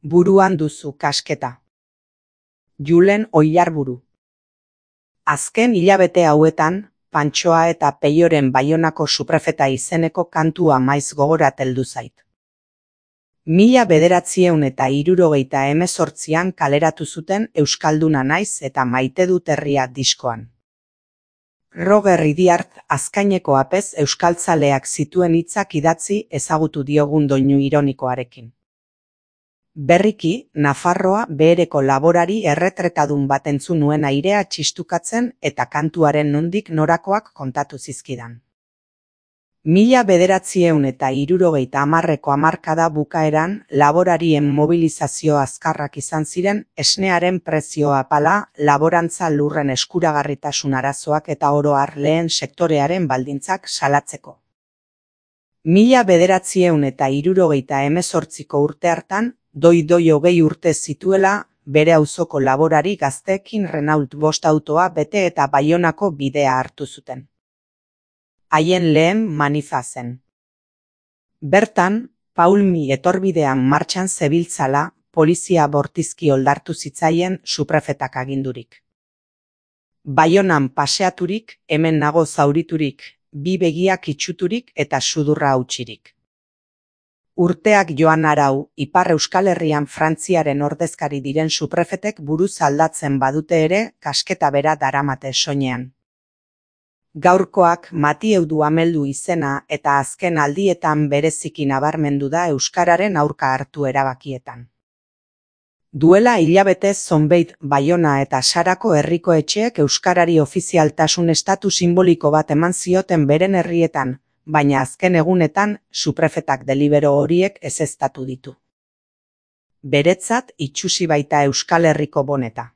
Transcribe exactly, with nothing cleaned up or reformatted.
Buruan duzu kasketa. Julen Oillarburu. Azken hilabete hauetan, Pantxoa eta Peioren Baionako suprefeta izeneko kantua maiz gogorat heldu zait. Mila bederatziehun eta hirurogeita hemezortzian kaleratu zuten Euskalduna naiz eta maite dut herria diskoan. Roger Idiart azkaineko apez euskaltzaleak zituen hitzak idatzi ezagutu diogun doinu ironikoarekin. Berriki, Nafarroa behereko laborari erretretadun bat entzun nuen airea txistukatzen eta kantuaren nondik norakoak kontatu zizkidan. Mila bederatziehun eta hirurogeita hamarreko hamarkada bukaeran laborarien mobilizazio azkarrak izan ziren esnearen prezio apala, laborantza lurren eskuragarritasun arazoak eta oro har lehen sektorearen baldintzak salatzeko. Mila bederatziehun eta hirurogeita hemezortziko urte hartan, doi-doi hogei urte zituela, bere auzoko laborari gazteekin Renault bost autoa bete eta Baionako bidea hartu zuten. Haien lehen manifa zen. Bertan, Paulmi etorbidean martxan zebiltzala, polizia bortizki oldartu zitzaien suprefetak agindurik. Baionan paseaturik, hemen nago zauriturik, bi begiak itxuturik eta sudurra hautsirik. Urteak joan arau, Ipar Euskal Herrian Frantziaren ordezkari diren suprefetek buruz aldatzen badute ere, kasketa bera daramate soinean. Gaurkoak Mathieu Duhameldu izena eta azken aldietan bereziki nabarmendu da euskararen aurka hartu erabakietan. Duela hilabete zonbeit Baiona eta Sarako herriko etxeek euskarari ofizialtasun estatu sinboliko bat eman zioten beren herrietan, baina azken egunetan suprefetak delibero horiek ezeztatu ditu. Beretzat itsusi baita Euskal Herriko boneta.